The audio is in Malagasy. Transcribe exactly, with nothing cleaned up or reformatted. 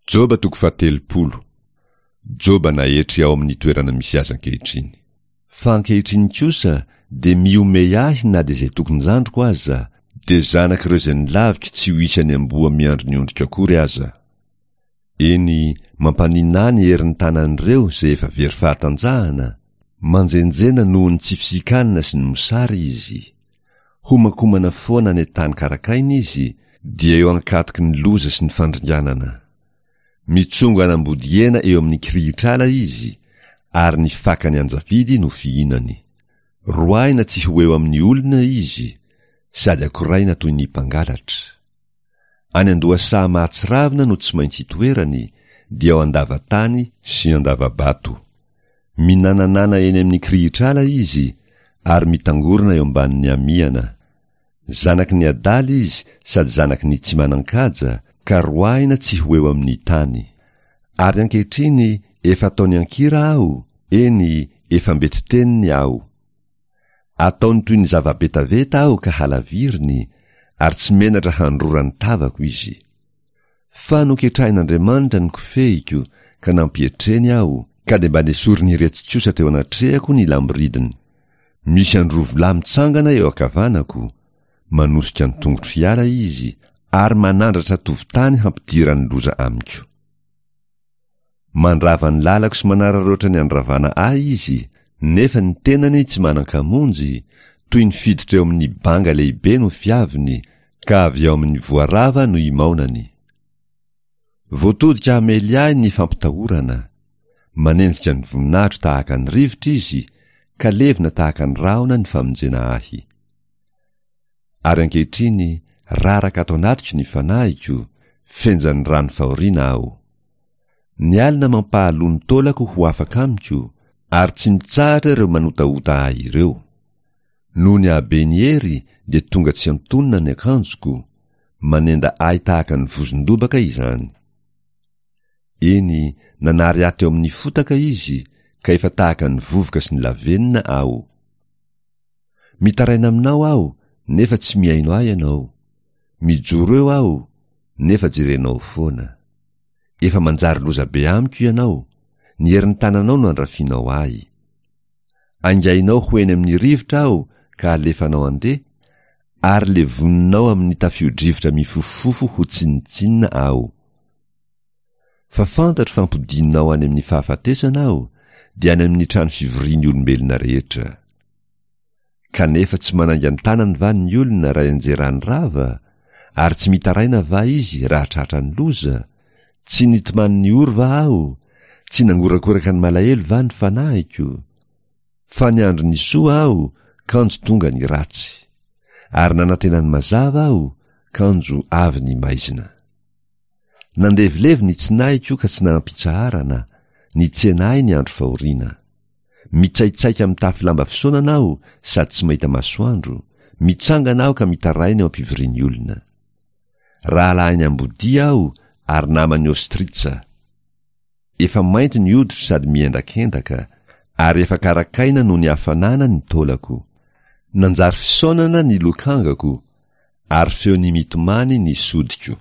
Joba toko fahatelopolo. Joba naetry ao amin'ny toerana misy azy ankehitriny. Fa ankehitriny kosa dia mihomehy ahy na dia izay tokon-jandriko aza, dia zanak'ireo izay nolaviko tsy ho isan'ny amboa miandry ny ondriko akory aza. Eny, mampaninà ny herin'ny tanan'ireo izay efa very fahatanjahana, manjenjena noho ny tsy fisian-kanina sy ny mosary izy. Homankomana foana any an-tany karakaina izy, dia eo ankatoky ny loza sy ny fandringanana. Mitsongo an'ambodihena eo amin'ny kirihitr'ala izy, ary ny fakan'ny anjavidy no fihinany. Roahina tsy ho eo amin'ny olona izy, sady akoraina toy ny mpangalatra. Any an-dohasaha mahatsiravina no tsy maintsy itoerany, dia ao an-dava-tany sy an-dava-bato. Minananana eny amin'ny kirihitr'ala izy, ary mitangorona eo ambanin'ny amiana. Zanaky ny adala izy sady zanaky ny tsy manan-kaja, ka roahina tsy ho eo amin'ny tany. Ary ankehitriny efa ataony an-kira aho, eny, efa mbeti-teniny aho. Ataony toy ny zava-betaveta aho ka halaviriny, ary tsy menatra handrora ny tavako izy. Fa noketrahin'Andriamanitra ny kofehiko ka nampietreny aho, ka dia mba nesorin'iretsy kosa teo anatrehako ny lamboridiny. Misy androvolahy mitsangana eo ankavanako, manosika ny tongotro hiala izy, ary manandratra tovon-tany hampidirany loza amiko. Mandrava ny lalako sy manararaotra ny andravana ahy izy, nefa ny tenany tsy manan-kamonjy, toy ny fiditra eo amin'ny banga lehibe no fiaviny, ka avy ao amin'ny voarava no imaonany. Voatodika hamely ahy ny fampitahorana. Manenjika ny voninahitro tahaka ny rivotra izy, ka levona tahaka ny rahona ny famonjena ahy. Ary ankehitriny, raraka ato anatiko ny fanahiko, fenjan'ny rano fahoriana aho. Ny alina mampahaloa ny taolako ho afaka amiko, ary tsy mitsahatra ireo manotaota ahy ireo. Noho ny haben'ny hery dia tonga tsy antonona ny akanjoko, manenda ahy tahaka ny vozon-dobaka izany. Eny, nanary ahy teo amin'ny fotaka izy, ka efa tahaka ny vovoka sy ny lavenona aho. Mitaraina aminao aho, nefa tsy mihaino ahy ianao. Mijoro eo aho, nefa jerenao foana. Efa manjary loza be amiko ianao, ny herin'ny tananao no andrafianao ahy. Aingainao ho eny amin'ny rivotra aho ka alefanao handeha, ary levoninao amin'ny tafio-drivotra mifofofofo ho tsinontsinona aho. Fa fantatro fa ampodianao any amin'ny fahafatesana aho, dia any amin'ny trano fivorian'ny olombelona rehetra. Kanefa tsy manainga ny tanany va ny olona raha ianjerany rava, ary tsy mitaraina va izy raha tratra ny loza? Tsy nitomany ny ory va aho? Tsy nangorakoraka ny malahelo va ny fanahiko? Fa niandry ny soa aho, kanjo tonga ny ratsy. Ary nanantena ny mazava aho, kanjo avy ny maizina. Nandevilevy ny tsinahiko ka tsy nanam-pitsaharana, nitsena ahy ny andro fahoriana. Mitsaitsaika mitafy lamba fisaonana aho sady tsy mahita masoandro, mitsangana aho ka mitaraina eo am-pivorian'ny olona. Rahalahin'ny ambodia aho ary naman'ny ostritsa. Efa mainty ny hoditro sady miendakendaka, ary efa karakaina noho ny hafanana ny taolako. Nanjary fisaonana ny lokangako, ary feon'ny mitomany ny sodiko.